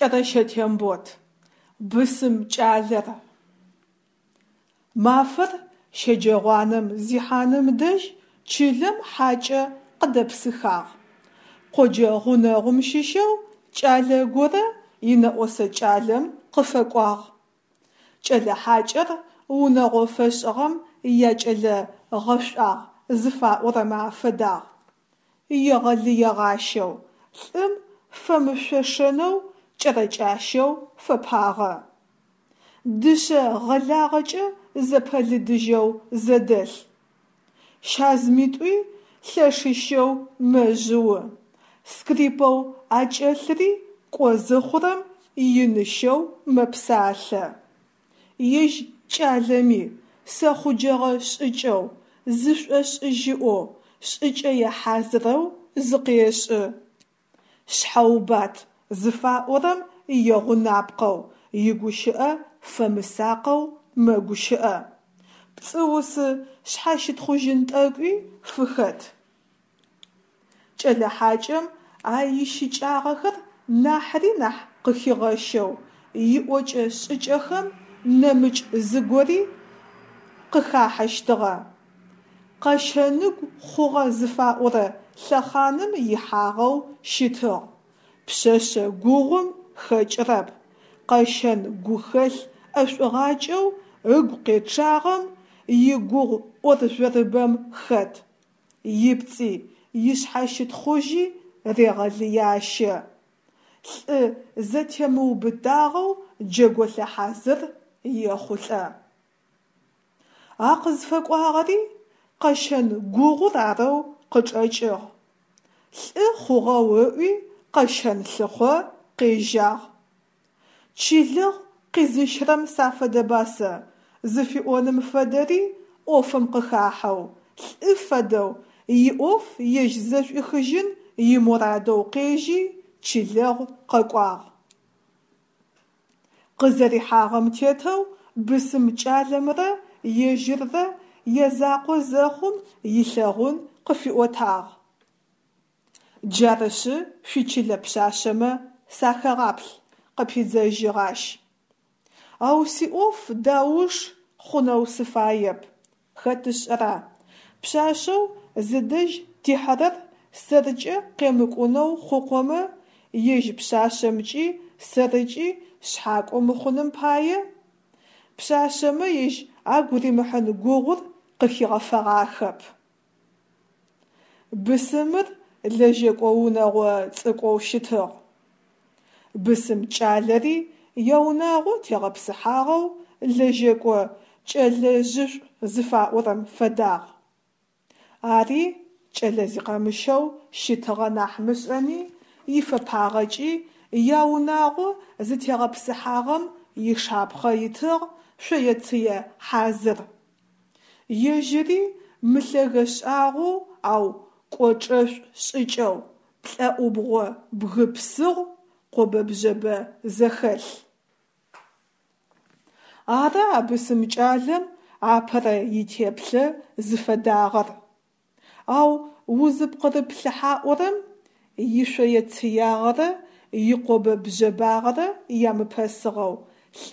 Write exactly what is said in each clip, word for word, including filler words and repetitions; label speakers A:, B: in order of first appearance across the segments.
A: Кӏэрэщэ Тембот, бысым кӏалэр. Мафэр щэджэгъуанэм зихьаным дэжь чылэм хьакӏэ къыдэпсыхагъ: къоджэ гъунэгъум щыщэу кӏалэ горэ инэӏосэ кӏалэм къыфэкӏуагъ. Кӏэлэ хьакӏэр унэгъо фэшӏыгъэм якӏэлэ гъэшӏуагъ зыфаӏорэмэ афэдагъ: егъэлыегъащэу, лӏым фэмышъошэнэу кӏэрэкӏащэу фэпагъэ. Дышъэ гъэлагъэкӏэ зэпэлыдыжьэу зэдэлъ. Щазымитӏуи лъэшыщэу мэжъыу, скрипэу акӏэлъыри кӏо зыхъурэм иныщэу мэпсалъэ. Ежь кӏалэми сэхъуджэгъэ шӏыкӏэу, зышӏошӏыжьыӏоу, шӏыкӏэе хьазырэу зыкъешӏы. Шъхьэубат зыфаӏорэм игъунапкъэу, игущыӏэ фэмысакъэу мэгущыӏэ, пцӏыусы шъхьащытхъужьын тӏэкӏуи фыхэт. Кӏэлэ хьакӏэм а ищыкӏагъэхэр нахьыри нахь къыхигъэщэу, иӏокӏэ-шӏыкӏэхэм нэмыкӏ зыгори къыхахьэщтыгъэ: къэщэныгу хъугъэ зыфаӏорэ лъэхъаным ихьагъэу щытыгъ, пшъэшъэ гугъум хэкӏырэп, къэщэн гухэлъ ӏэшӏугъакӏэу ыгу къечъагъэм игугъу ӏоржъорыбэм хэт, ипцӏи ишъхьащытхъужьи регъэлыящэ, лӏы зэтемыубытагъэу джэголъэ хьазыр ехъулӏэ. А къызфэкӏуагъэри къэщэн гугъур арэу къычӏэкӏыгъ: лӏы хъугъэу ыӏуи къэщэн лъыхъо къежьагъ. Чылэгъу къизыщрэм сафэдэба сэ зыфиӏоным фэдэри ӏофым къыхахьэу, лӏы фэдэу иӏоф ежь зэшӏуихыжьын имурадэу къежьи чылэгъу къэкӏуагъ. Къызэрихьагъэм тетэу бысым кӏалэмрэ ежьыррэ язакъо зэхъум илъэгъун къыфиӏотагъ. Джарышъы шъуичылэ пшъашъэмэ сахэгъаплъ, къыпидзэжьыгъ ащ. Ау сиӏоф дауш хъунэу сыфаеп, хэт ышӏэра, пшъашъэу зыдэжь тихьэрэр сэркӏэ къемыкӏунэу хъукъомэ, ежь пшъашъэмкӏи сэркӏи шъхьакӏо мыхъуным пае? Пшъашъэмэ ежь агу римыхьын гугъур къыхигъэфэгъахэп. Бысымыр лэжьэкӏо унэгъо цӏыкӏоу щытыгъ. Бысым кӏалэри яунагъо тегъэпсыхьагъэу лэжьэкӏо кӏэлэжъышӏу зыфаӏорэм фэдагъ. Ари кӏэлэ зикъэмыщэу щытыгъэ нахь мышӏэми, ифэпагъэкӏи яунагъо зытегъэпсыхьагъэм ишапхъэ итыгъ, шъоецые хьазыр. Ежьыри мылъэгэ шӏагъоу, ау кӏочӏэшӏу шӏыкӏэу, плӏэӏубгъо бгы псыгъу, къобэ-бжъэбэ зэхэлъ. Ары а бысым кӏалэм апэрэ итеплъэ зыфэдагъэр. Ау узыпкъырыплъыхьаӏорэм, ишъоецыягъэрэ икъобэ-бжъэбагъэрэ ямыпэсыгъэу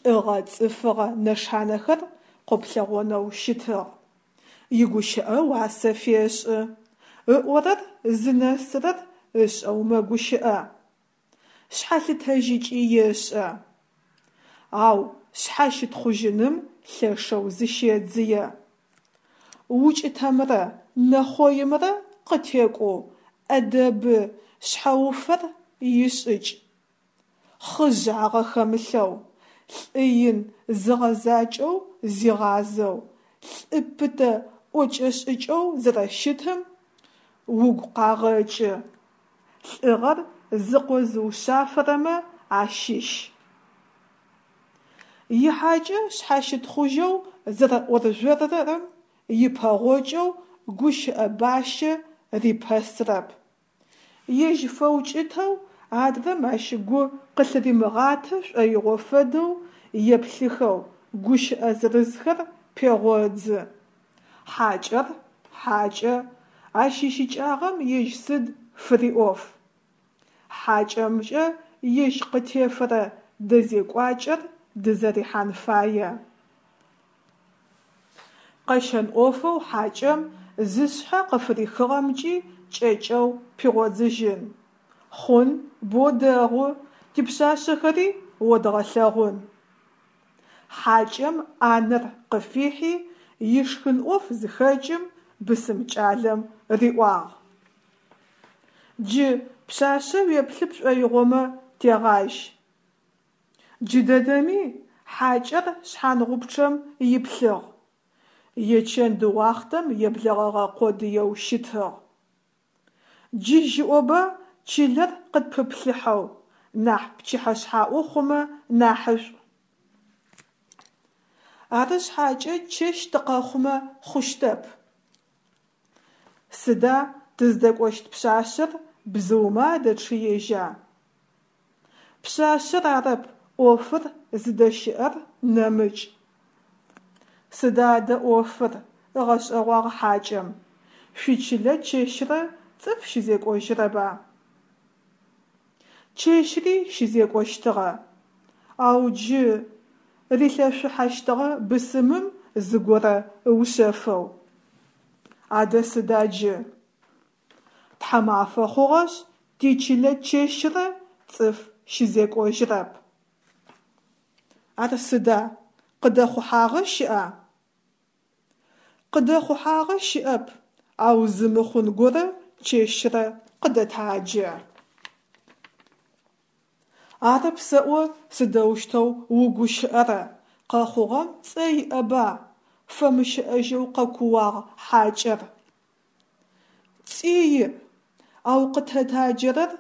A: лӏыгъэ-цӏыфыгъэ нэшанэхэр къоплъэгъонэу щытыгъ. Игущыӏэ уасэ фешӏы, ыӏорэр зынэсырэр ышӏэу мэгущыӏэ. Шъхьэлъытэжьыкӏи ешӏэ. Ау шъхьащытхъужьыным лъэшэу зыщедзые. Укӏытэмрэ нэхъоимрэ къытекӏоу ӏэдэбы шъхьэуфэр ишӏыкӏ. Хъыжъагъэ хэмылъэу, лӏы ин зыгъэзакӏэу зигъазэу, лӏы пытэ ӏокӏэ-шӏыкӏэу зэрэщытым угу къагъэкӏы. Лӏыгъэр зыкъозыушъафэрэмэ ащыщ. Ихьакӏэ шъхьащытхъужьэу зэрэӏоржъорырэм ипэгъокӏэу гущыӏэ бащэ рипэсырэп. Ежь фэукӏытэу, адрэм ащ гу къылъыримыгъатэ шӏоигъо фэдэу еплъыхэу гущыӏэ зырызхэр пегъодзы. Хьакӏэр хьакӏэ, ащ ищыкӏагъэм ежь сыд фыриӏоф. Хьакӏэмкӏэ ежь къытефэрэ дэзекӏуакӏэр дызэрихьан фае. Къэщэн ӏофэу хьакӏэм зышъхьэ къыфырихыгъэмкӏи кӏэкӏэу пигъодзыжьын: Хъун, бо дэгъу, типшъашъэхэри одгъэлъэгъун. Хьакӏэм ӏанэр къыфихьи, ишхын ӏоф зыхэкӏым, бысым кӏалэм риӏуагъ: Джы пшъашъэ уеплъы пшӏоигъомэ тегъажь. Джыдэдэми? – хьакӏэр шъхьангъупчъэм иплъыгъ, ечэнд уахътэм еблэгъэгъэ къодыеу щытыгъ. Джы жьыӏоба чылэр къытпыплъыхьэу, нахь пчыхьэшъхьаӏо хъумэ нахьышӏу. Ары шъхьакӏэ чэщ тыкъэхъумэ хъущтэп. Сыда, тыздэкӏощт пшъашъэр бзыумэ адэчъыежьа? Пшъашъэр арэп ӏофыр зыдэщыӏэр нэмыкӏ. Сыда адэ ӏофыр? – ыгъэшӏэгъуагъ хьакӏэм. Шъуичылэ чэщрэ цӏыф щызекӏожьрэба? Чэщри щызекӏощтыгъэ, ау джы… – рилъэшъухьэщтыгъэ бысымым зыгорэ ыушъэфэу. Адэ сыда джы? Тхьамафэ хъугъэшъ тичылэ чэщрэ цӏыф щызекӏожьрэп. Ар сыда, къыдэхъухьагъэ щыӏа? Къыдэхъухьагъэ щыӏэп, ау зы мыхъун горэ чэщрэ къыдэтаджэ. Арэп сэӏо сыдэущтэу угущыӏэрэ, къэхъугъэм цӏэ иӏэба! – фэмыщыӏэжьэу къэкууагъ хьакӏэр. Цӏи иӏ, ау къытэтаджэрэр.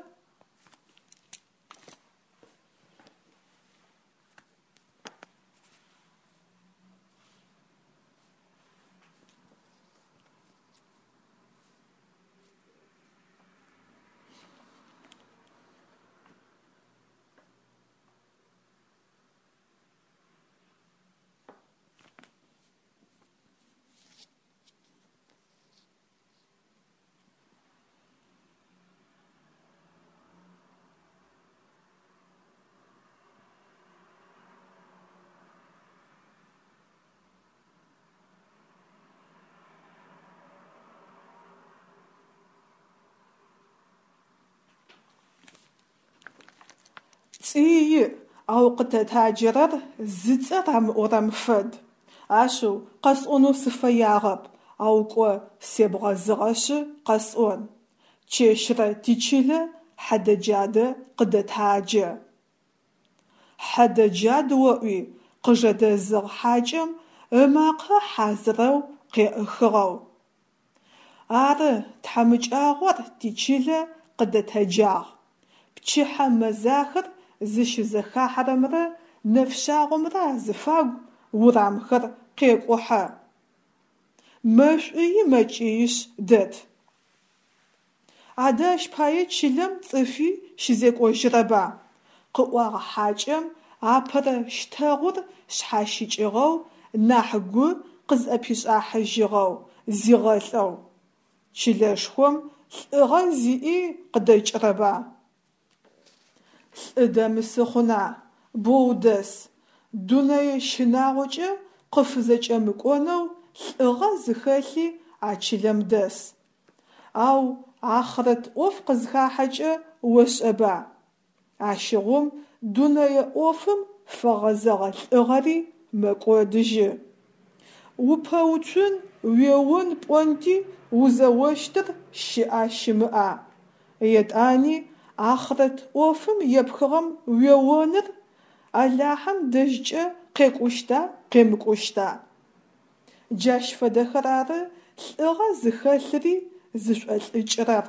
A: Цӏи иӏ, ау къытэтаджэрэр зыцӏэ рамыӏорэм фэд. Ашъыу, къэсӏонэу сыфэягъэп, ау кӏо себгъэзыгъэшъы къэсӏон: чэщрэ тичылэ хьэдэ-джадэ къыдэтаджэ. Хьэдэ-джад оӏуи? – къыжэдэзыгъ хьакӏэм, ымакъэ хьазырэу къеӏыхыгъэу. Ары, тхьамыкӏагъор тичылэ къыдэтэджагъ. Пчыхьэ мэзахэр зыщызэхахьэрэмрэ нэфшъагъомрэ азыфагу урамхэр къекӏухьэ. Мэшӏуи мэкӏиишъ дэт. Адэ ащ пае чылэм цӏыфи щызекӏожьрэба? – къыӏуагъ хьакӏэм апэрэ щтэгъур шъхьащыкӏыгъэу, нахь гу къызӏэпишӏахьыжьыгъэу, зигъэлӏэу. Чылэшхом лӏыгъэ зиӏи къыдэкӏрэба? Лӏы дэмысы хъуна, боу дэс, дунэе щынагъокӏэ къыфызэкӏэмыкӏонэу лӏыгъэ зыхэлъи а чылэм дэс. Ау ахърэт ӏоф къызхахьэкӏэ ошӏэба, ащыгъум дунэе ӏофым фэгъэзэгъэ лӏыгъэри мэкӏодыжьы. Упэуцун, уеон пӏонти узэощтыр щыӏа-щымыӏа, етӏани ахърэт ӏофым епхыгъэм уеоныр Алахьэм дэжькӏэ къекӏущта къемыкӏущта? Джащ фэдэхэр ары лӏыгъэ зыхэлъри зышӏолӏыкӏрэр.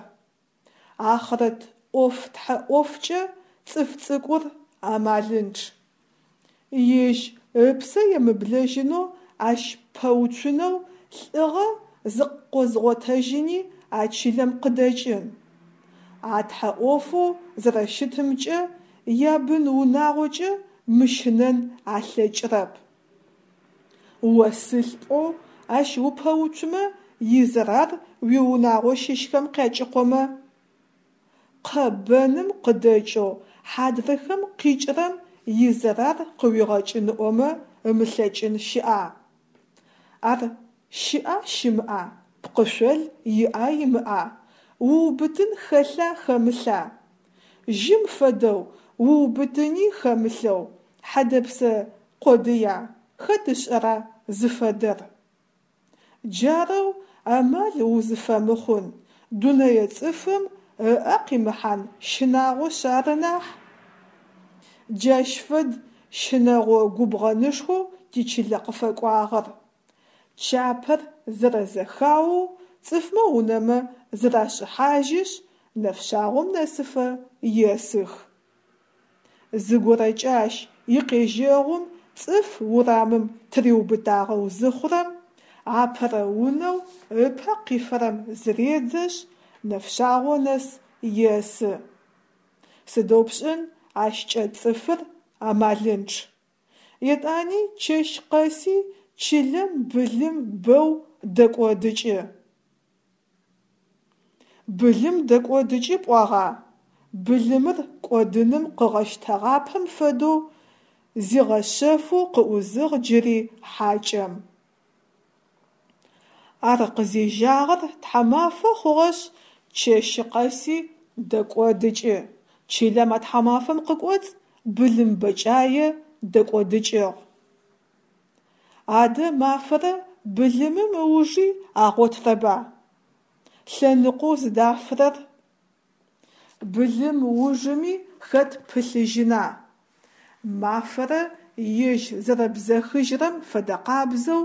A: Ахърэт ӏоф-тхьэ ӏофкӏэ цӏыф цӏыкӏур амалынчъ. Ежь ыпсэ емыблэжьынэу ащ пэуцунэу лӏыгъэ зыкъозгъотэжьыни а чылэм къыдэкӏын. А тхьэ ӏофэу зэрэщытымкӏэ ябын-унагъокӏэ мыщынэн алъэкӏрэп. О сылӏ пӏоу ащ упэуцумэ изэрар уиунагъо щыщхэм къякӏыкъомэ? Къэ бэным къыдэкӏэу хьадрыхэм къикӏырэм изэрар къыуигъэкӏын ыӏомэ ымылъэкӏын щыӏа? Ар щыӏа щымыӏа, пкъышъол иӏа имыӏа, уубытын хэлъа хэмылъа? Жьым фэдэу, уубытыни хэмылъэу, хьэдэпсэ къодыя, хэт ышӏэра зыфэдэр? Джарэу амал узыфэмыхъун, дунэе цӏыфым ыӏэ къимыхьан щынагъошъ ары нахь. Джащ фэд щынэгъо губгъэнышхоу тичылэ къыфэкӏуагъэр. Чапэр зэрэзэхаоу цӏыфмэ унэмэ зырашӏыхьажьышъ, нэфшъагъом нэсыфэ есых. Зыгорэкӏэ ащ икъежьэгъум цӏыф урамым тыриубытагъэу зыхъурэм, апэрэ унэу ыпэ къифэрэм зыредзэшъ, нэфшъагъо нэс есы. Сыдэу пшӏын, ащкӏэ цӏыфыр амалынчъ. Етӏани чэщ къэси чылэм былым бэу дэкӏодыкӏы. Былым дэкӏодыкӏы пӏуагъа? Былымыр кӏодыным къыгъэщтэгъапэм фэдэу зигъэшъэфэу къыӏузыгъ джыри хьакӏэм. Ар къызежьагъэр тхьамафэ хъугъэшъ, чэщы къэси дэкӏодыкӏы. Чылэм а тхьамафэм къыкӏоцӏ былым бэкӏае дэкӏодыкӏыгъ. Адэ мафэрэ былымым ыужи агъотырэба? Лъэныкъоу зыдафырэр? Былым ужыми хэт пылъыжьына? Мафэрэ ежь зэрэбзэхыжьырэм фэдэкъабзэу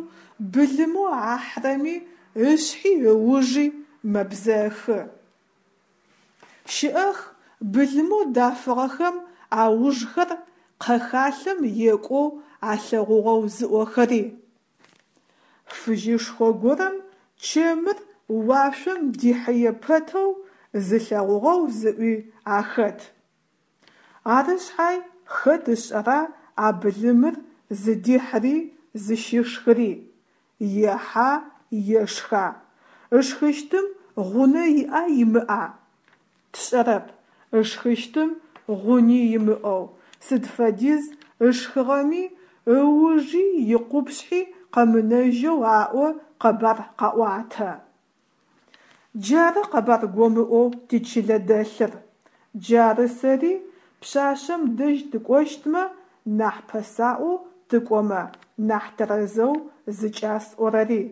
A: былымэу ахьырэми ышъхьи ыужи мэбзэхы. Щыӏэх былымэу дафыгъэхэм аужхэр къэхалъэм екӏоу алъэгъугъэу зыӏохэри. Фыжьышхо горэм чэмыр уашъом дихьые пэтэу зылъэгъугъэу зыӏуи ахэт. Ары шъхьай хэт ышӏэра а былымыр зыдихьыри зыщишхыри, ехьа, ешха, ышхыщтым гъунэ иӏа имыӏа? Тшӏэрэп, ышхыщтым гъуни имыӏэу, сыд фэдиз ышхыгъэми ыужи икъупшъхьи къэмынэжьэу аӏо къэбар къаӏуатэ. Джары къэбар гомыӏоу тичылэ дэлъыр. Джары сэри пшъашъэм дэжь тыкӏощтмэ нахь пэсаӏоу тыкӏомэ нахь тэрэзэу зыкӏасӏорэри.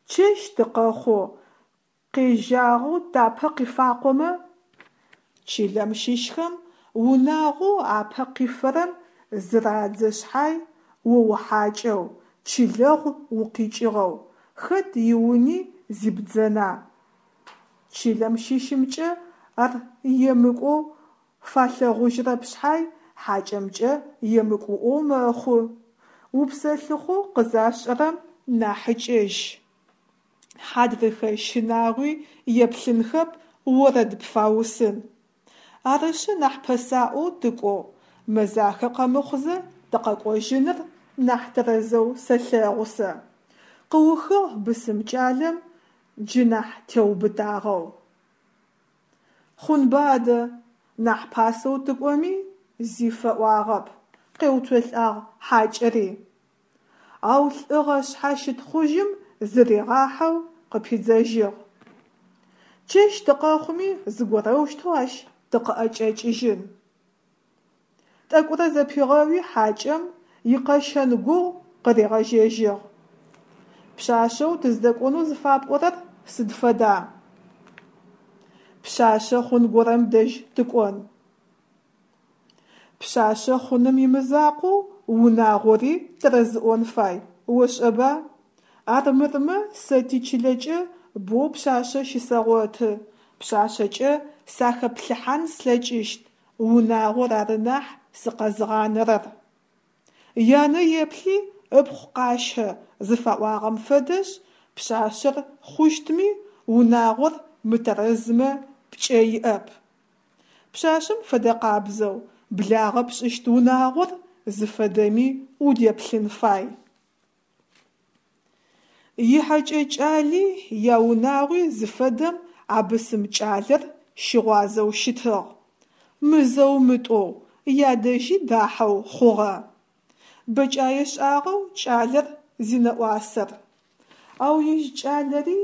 A: Чэщ тыкъэхъоу къежьагъэу тапэ къифакъомэ? Чылэм щыщхэм унагъоу апэ къифэрэм зырадзэ шъхьай, о ухьакӏэу, чылэгъу укъикӏыгъэу, хэт иуни зибдзэна? Чылэм щыщымкӏэ ар емыкӏоу фалъэгъужьырэп шъхьай, хьакӏэмкӏэ емыкӏуӏоу мэхъу. Упсэлъыхъоу къызашӏэрэм нахьыкӏэжь. Хьадрыхэ щынагъуи еплъынхэп, орэд пфаусын. Арышъы нахь пэсаӏоу тыкӏоу, мэзахэ къэмыхъузэ тыкъэкӏожьыныр нахь тэрэзэу сэлъэгъу сэ, къыухыгъ бысым кӏалэм джы нахь теубытагъэу. Хъунба адэ, нахь пасэу тыкӏоми зи фэӏуагъэп, къеуцолӏагъ хьакӏэри. Ау лӏыгъэ шъхьащытхъужьым зыригъахьэу къыпидзэжьыгъ. Чэщ тыкъэхъуми зыгорэущтэу ащ тыкъыӏэкӏэкӏыжьын. Тӏэкӏурэ зэпигъэуи хьакӏэм икъэщэн гугъу къыригъэжьэжьыгъ. Пшъашъэу тыздэкӏонэу зыфапӏорэр сыд фэда? Пшъашъэ хъун горэм дэжь тыкӏон. Пшъашъэ хъуным имызакъоу унагъори тэрэзыӏон фай, ошӏэба? Армырмэ сэ тичылэкӏэ боу пшъашъэ щысэгъоты, пшъашъэкӏэ сахэплъыхьан слъэкӏыщт, унагъор ары нахь сыкъэзгъанэрэр. Янэ еплъи ыпхъу къащэ зыфаӏуагъэм фэдэшъ, пшъашъэр хъущтми, унагъор мытэрэзмэ пкӏэ иӏэп. Пшъашъэм фэдэкъабзэу благъэ пшӏыщт унагъор зыфэдэми удеплъын фай. Ихьэкӏэ кӏали яунагъуи зыфэдэм а бысым кӏалэр щыгъуазэу щытыгъ, мызэу-мытӏоу ядэжьи дахьэу хъугъэ. Бэкӏае шӏагъэу кӏалэр зинэӏуасэр. Ау ежь кӏалэри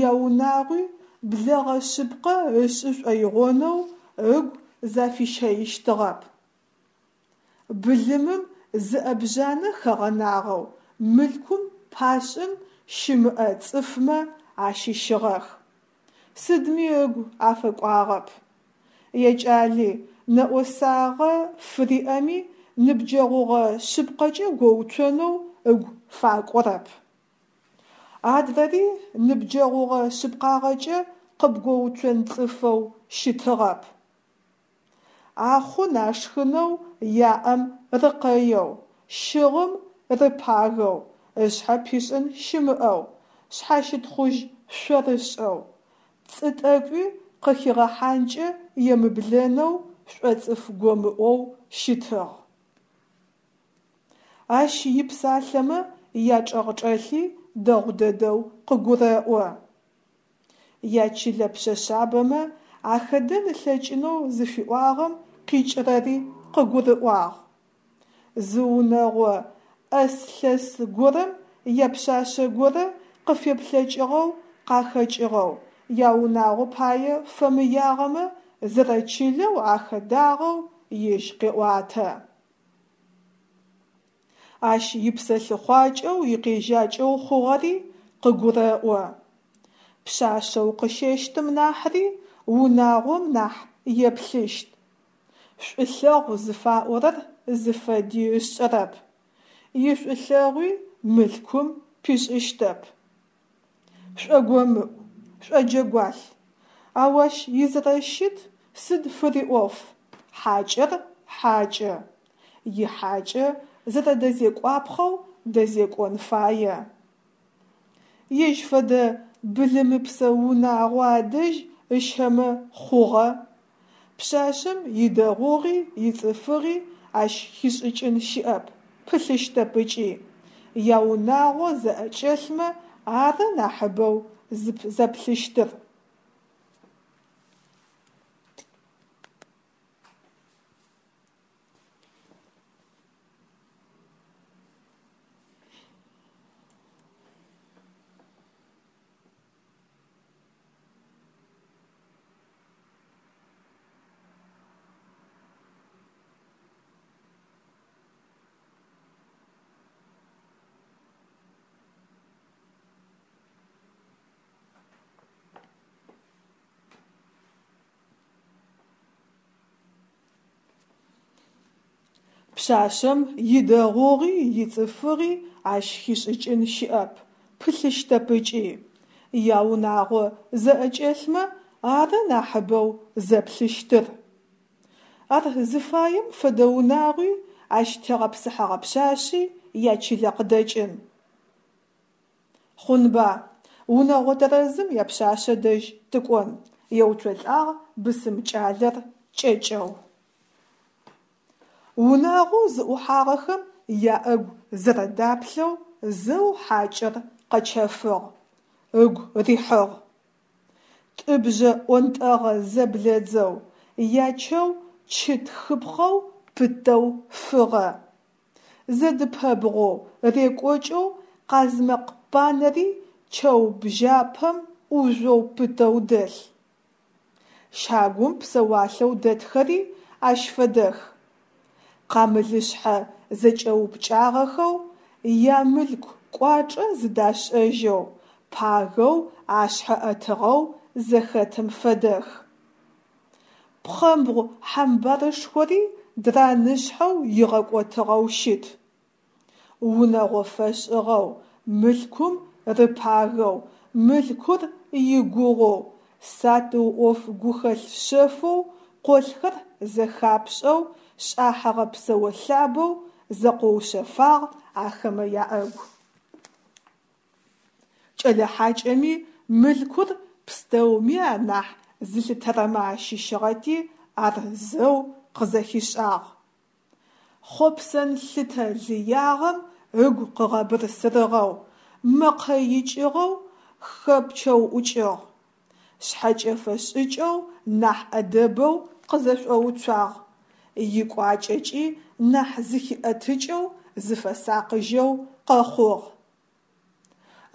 A: яунагъуи блэгъэ шъыпкъэ ышӏы шӏоигъонэу ыгу зафищэищтыгъэп. Былымым зы ӏэбжъанэ хэгъэнагъэу мылъкум пашӏын щымыӏэ цӏыфмэ ащыщыгъэх. Сыдми ыгу афэкӏуагъэп. Якӏали нэӏосагъэ фыриӏэми ныбджэгъугъэ шъыпкъэкӏэ гоуцонэу ыгу факӏорэп. Адрэри ныбджэгъугъэ шъыпкъагъэкӏэ къыбгоуцон цӏыфэу щытыгъэп. Ахъун ашхынэу яӏэм рыкъэеу, щыгъым рыпагэу, ышъхьэ пишӏын щымыӏэу, шъхьащытхъужь шъорышӏэу, пцӏы тӏэкӏуи къыхигъэхьанкӏэ емыблэнэу шӏоцӏыф гомыӏоу щытыгъ. Ащ ипсалъэмэ ячӏэгъчӏэлъи дэгъу дэдэу къыгурэӏо. Ячылэ пшъэшъабэмэ ахэдэн ылъэкӏынэу зыфиӏуагъэм къикӏырэри къыгурыӏуагъ. Зы унэгъо ӏэс-лъэс горэм япшъашъэ горэ къыфеплъэкӏыгъэу къахэкӏыгъэу, яунагъо пае фэмыягъэмэ зэрэчылэу ахэдагъэу ежь къеӏуатэ. Ащ ипсэлъыхъуакӏэу икъежьакӏэу хъугъэри къыгурэӏо. Пшъашъэу къыщэщтым нахьри унагъом нахь еплъыщт. Шӏулъэгъу зыфаӏорэр зыфэди ышӏэрэп, ишӏулъэгъуи мылъкум пишӏыщтэп. Шӏогомыӏу, шӏоджэгуалъ, ау ащ изэрэщыт сыд фыриӏоф, хьакӏэр хьакӏэ, ихьакӏэ зэрэдэзекӏуапхъэу дэзекӏон фае. Ежь фэдэ былымыпсэ унагъо адэжь ыщэмэ хъугъэ. Пшъашъэм идэгъугъи ицӏыфыгъи ащ хишӏыкӏын щыӏэп, пылъыщтэп ыкӏи, яунагъо зэӏэкӏэлъмэ ары нахьыбэу зэплъыщтыр. Пшъашъэм идэгъугъи ицӏыфыгъи ащ хишӏыкӏын щыӏэп, пылъыщтэп ыкӏи, яунагъо зэӏэкӏэлъмэ ары нахьыбэу зэплъыщтыр. Ар зыфаем фэдэ унагъуи, ащ тегъэпсыхьэгъэ пшъашъи ячылэ къыдэкӏын. Хъунба, унэгъо тэрэзым япшъашъэ дэжь тыкӏон, еуцолӏагъ бысым кӏалэр кӏэкӏэу. Унагъоу зыӏухьагъэхэм яӏэгу зэрэдаплъэу зэу хьакӏэр къэчэфыгъ, ыгу рихьыгъ. Тӏыбжъэ ӏонтӏэгъэ зэблэдзэу, ячэу чы тхыпхъэу пытэу фыгъэ. Зэдыпэбгъоу рекӏокӏэу къазмэкъ панэри чэу бжьэпэм ӏужъоу пытэу дэлъ. Щагум псэуалъэу дэтхэри ащ фэдэх. Къамылышъхьэ зэкӏэупкӏагъэхэу, ямылъку кӏуачӏэ зыдашӏэжьэу, пагэу ашъхьэ ӏэтыгъэу зэхэтым фэдэх. Пхъэмбгъу хьамбарышхори дранышъхьэу игъэкӏотыгъэу щыт. Унэгъо фэшӏыгъэу, мылъкум рыпагэу, мылъкур игугъоу, сатыу ӏоф гухэлъ шъэфэу къолъхэр зэхапшӏэу шӏахьыгъэ псэолъабэу зэкъоушъэфагъ ахэмэ яӏэгу. Кӏэлэ хьакӏэми мылъкур пстэуми анахь зылъытэрэмэ ащыщыгъэти ар зэу къызэхишӏагъ. Хъопсэн лъытэ лыягъэм ыгу къыгъэбырсырыгъэу, мэкъэ икӏыгъэу хэпчэуӏукӏыгъ. Шъхьэкӏэфэ шӏыкӏэу нахь ӏэдэбэу къызэшӏоуцуагъ, икӏуакӏэкӏи нахь зыхиӏэтыкӏэу зыфэсакъыжьэу къэхъугъ.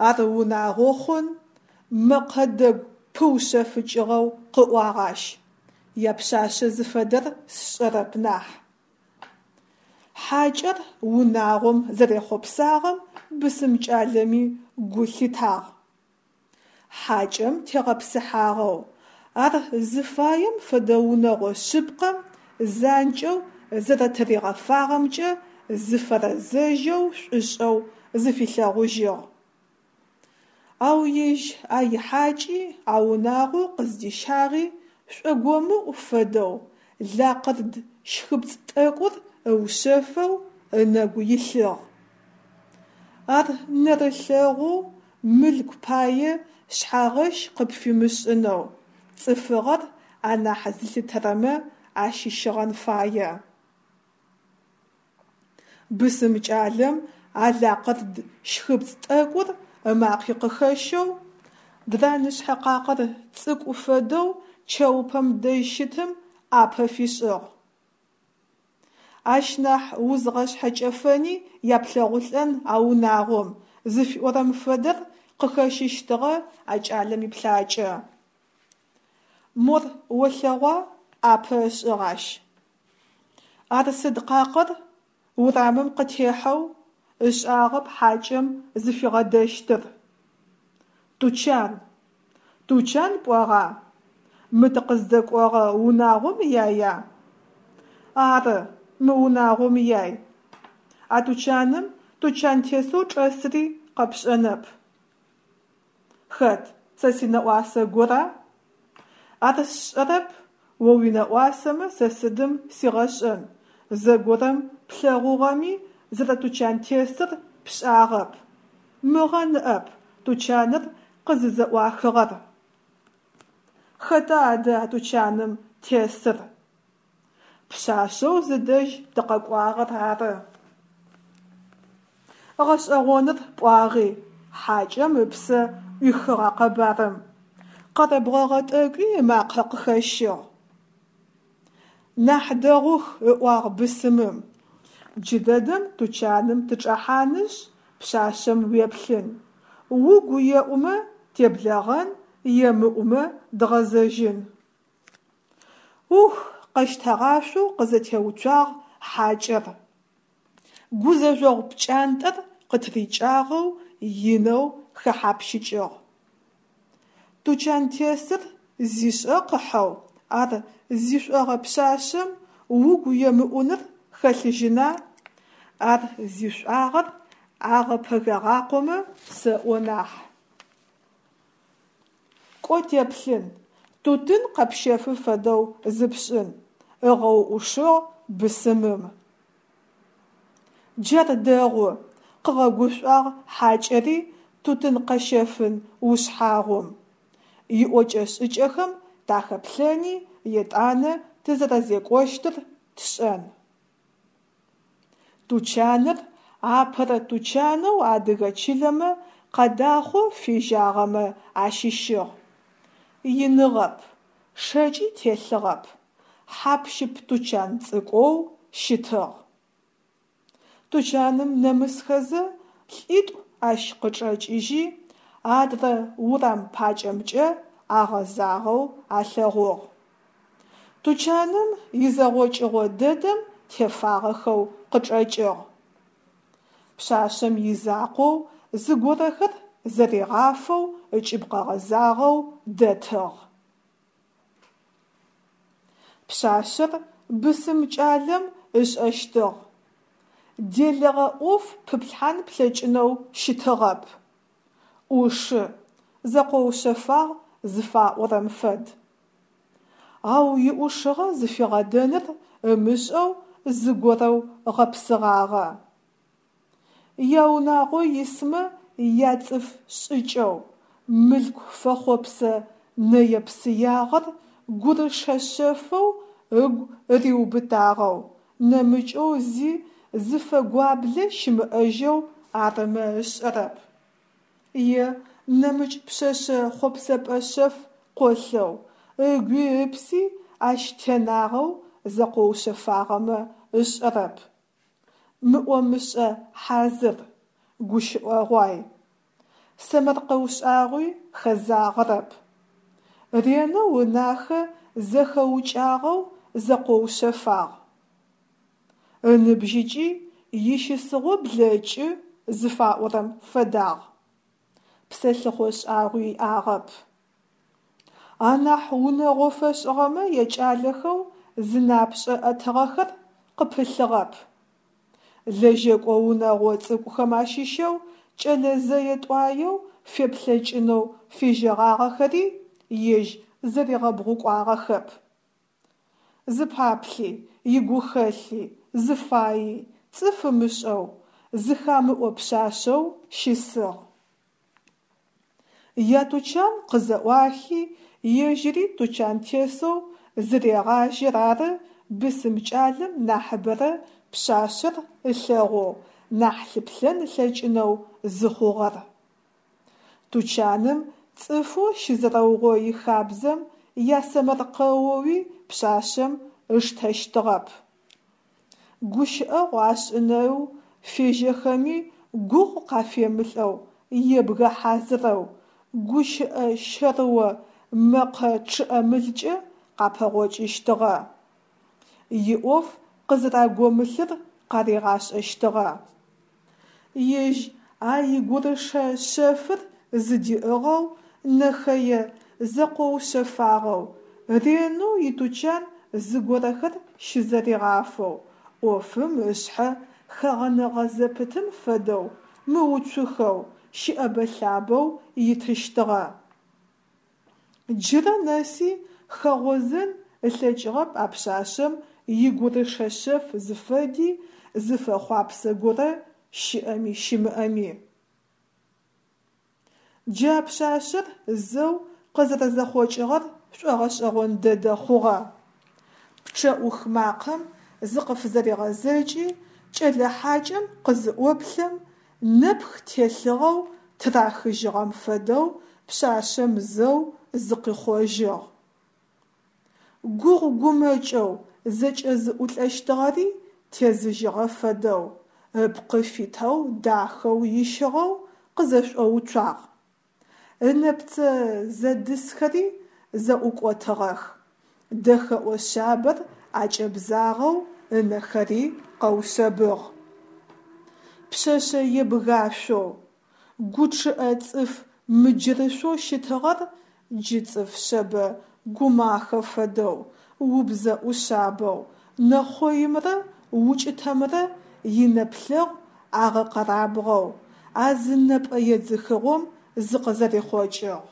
A: Ар унагъо хъун, мэкъэ дэгу пыушъэфыкӏыгъэу къыӏуагъ ащ, япшъашъэ зыфэдэр сшӏэрэп нахь. Хьакӏэр унагъом зэрехъопсагъэм бысым кӏалэми гу лъитагъ. Хьакӏэм тегъэпсыхьагъэу, ар зыфаем фэдэ унэгъо шъыпкъэм занкӏэу зэрэтыригъэфагъэмкӏэ зыфэрэзэжьэу шӏушӏэу зыфилъэгъужьыгъ. Ау ежь а ихьакӏи, а унагъоу къыздищагъи шӏогомыӏу фэдэу, лакъырд щхыпцӏ тӏэкӏур ыушъэфэу ынэгу илъыгъ. Ар нэрылъэгъоу, мылъку пае шъхьагъэщ къыпфимышӏынэу, цӏыфыгъэр анахь зылъытэрэмэ ащыщыгъэн фае. Бысым кӏалэм а лакъырд щхыпцӏ тӏэкӏур ымакъи къыхэщэу, дранышъхьэ къакъыр цӏыкӏу фэдэу чэупэм дэжь щытым ӏапэ фишӏыгъ. Ащ нахь узгъэшъхьэкӏэфэни яплъэгъулӏэн а унагъом зыфиӏорэм фэдэр къыхэщыщтыгъэ а кӏалэм иплъакӏэ. Мор олъэгъуа, ӏапэ ышӏыгъ ащ. Ар сыд къакъыр, урамым къытехьэу, ышӏагъэп хьакӏэм зыфигъэдэщтыр. Тучан! Тучан пӏуагъа? Мы тыкъыздэкӏогъэ унагъом яя? Ары, мы унагъом яй. А тучаным тучантесэу чӏэсри къэпшӏэнэп. Хэт, сэ синэӏуасэ гора? Ар сшӏэрэп, о уинэӏуасэмэ сэ сыдым сигъэшӏэн, зэгорэм плъэгъугъэми зэрэтучантесыр пшӏагъэп. Мыгъэ ныӏэп тучаныр къызызэӏуахыгъэр. Хэта адэ а тучаным тесыр? Пшъашъэу зыдэжь тыкъэкӏуагъэр ары. Гъэшӏэгъоныр пӏуагъи, хьакӏэм ыпсэ ӏуихыгъ а къэбарым, къэрэбгъэгъэ тӏэкӏуи ымакъэ къыхэщыгъ. Нахь дэгъух, ыӏуагъ бысымым. Джыдэдэм тучаным тычӏэхьанышъ, пшъашъэм уеплъын. Угу еӏумэ теблэгъэн, емыӏумэ дгъэзэжьын. Ух, къэщтэгъашъоу къызэтеуцуагъ хьакӏэр. Гузэжъогъу пкӏантӏэр къытырикӏагъэу инэу хэхьапщыкӏыгъ. Тучантесыр зишӏэ къыхьэу, ар зишӏогъэ пшъашъэм угу емыӏуныр хэлъыжьына? Ар зишӏуагъэр агъэпэгагъакъомэ сэӏо нахь. Кӏо теплъын, тутын къэпщэфы фэдэу зыпшӏын, ыгъэуӏушыгъ бысымым. Джар дэгъу, къыгъэгушӏуагъ хьакӏэри тутын къэщэфын ушъхьагъум. Иӏокӏэ-шӏыкӏэхэм тахэплъэни етӏанэ тызэрэзекӏощтыр тшӏэн. Тучаныр апэрэ тучанэу адыгэ чылэмэ къадахъоу фежьагъэмэ ащыщыгъ. Иныгъэп, шэкӏи телъыгъэп, хьап-щып тучан цӏыкӏоу щытыгъ. Тучаным нэмысхэзэ лӏитӏу ащ къычӏэкӏыжьи, адрэ урам пакӏэмкӏэ агъэзагъэу алъэгъугъ. Тучаным изэгъокӏыгъо дэдэм тефагъэхэу къычӏэкӏыгъ. Пшъашъэм изакъоу зыгорэхэр зэригъафэу ыкӏыб къэгъэзагъэу дэтыгъ. Пшъашъэр бысым кӏалэм ышӏэщтыгъ. Делэгъэ ӏоф пыплъхьан плъэкӏынэу щытыгъэп. Ӏушы, зэкъоушъэфагъ зыфаӏорэм фэд. Ау иӏушыгъэ зыфигъэдэныр ымышӏэу зыгорэу гъэпсыгъагъэ. Яунагъо исмэ яцӏыф шӏыкӏэу, мылъку фэхъопсэ нэе-псыягъэр гурышэ шъэфэу ыгу риубытагъэу, нэмыкӏэу зи зыфэгуаблэ щымыӏэжьэу арымэ ышӏэрэп. Е нэмыкӏ пшъэшъэ хъопсэпӏэ шъэф къолъэу, ыгуи ыпси ащ тенагъэу зэкъоушъэфагъэмэ ышӏэрэп. Мыӏо-мышӏэ хьазыр, гущыӏэгъуай. Сэмэркъэу шӏагъуи хэзагъэрэп. Ренэу ынахэ зэхэукӏагъэу зэкъоушъэфагъ. Ыныбжьыкӏи ищысыгъо блэкӏы зыфаӏорэм фэдагъ. Псэлъыхъо шӏагъуи иӏагъэп. Анахь унэгъо фэшӏыгъэмэ якӏалэхэу зынапшӏэ ӏэтыгъэхэр къыпылъыгъэп. Лэжьэкӏо унэгъо цӏыкӏухэм ащыщэу кӏэлэ зэе-тӏуаеу феплъэкӏынэу фежьэгъагъэхэри ежь зэригъэбгъукӏуагъэхэп. Зыпаплъи, игухэлъи, зыфайи цӏыф ымышӏэу, зыхамыӏо пшъашъэу щысыгъ. Ятучан къызэӏуахи, ежьыри тучантесэу зырегъажьэр ары бысым кӏалэм нахьыбэрэ пшъашъэр ылъэгъоу, нахь лъыплъэн ылъэкӏынэу зыхъугъэр. Тучаным цӏыфэу щызэрэугъои хабзэм ясэмэркъэоуи пшъашъэм ыштэщтыгъэп. Гущыӏэгъу ашӏынэу фежьэхэми гугъу къафемылӏэу, ебгэ хьазырэу, гущыӏэ щэрыо мэкъэ чъыӏэмылкӏэ къапэгъокӏыщтыгъэ, иӏоф къызэрагомылъыр къаригъашӏэщтыгъэ. Ежь а игурышэ шъэфыр зыдиӏыгъэу, нэхэе зэкъоушъэфагъэу, ренэу итучан зыгорэхэр щызэригъафэу, ӏофым ышъхьэ хэгъэнэгъэ зэпытым фэдэу мыуцухэу, щыӏэбэ-лъабэу итыщтыгъэ. Джырэ нэси хэгъозэн ылъэкӏыгъэп а пшъашъэм игурышэ шъэф зыфэди, зыфэхъуапсэ горэ щыӏэми щымыӏэми. Джы а пшъашъэр зэу къызэрэзэхъокӏыгъэр шӏогъэшӏэгъон дэдэ хъугъэ. Пчъэӏух макъэм зыкъыфызэригъэзэкӏи, кӏэлэ хьакӏэм къызыӏоплъэм, нэпх телъыгъэу тырахыжьыгъэм фэдэу пшъашъэм зэу зыкъихъожьыгъ. Гугъу-гумэкӏэу зэкӏэзыӏулӏэщтыгъэри тезыжьыгъэ фэдэу, ыпкъы фитэу дахэу ищыгъэу къызэшӏоуцуагъ. Ынэпцэ зэдысхэри зэӏукӏотыгъэх, дэхэӏо шъабэр акӏэбзагъэу ынэхэри къэушъэбыгъ. Пшъэшъэ ебгашъоу, гу чъыӏэ цӏыф мыджырышъоу щытыгъэр джы цӏыф шъэбэ гумахэ фэдэу, убзэ ӏушъабэу, нэхъоимрэ укӏытэмрэ инэплъэгъу агъэкъэрабгъэу, а зы нэпӏэ едзыхыгъом зыкъызэрихъокӏыгъ.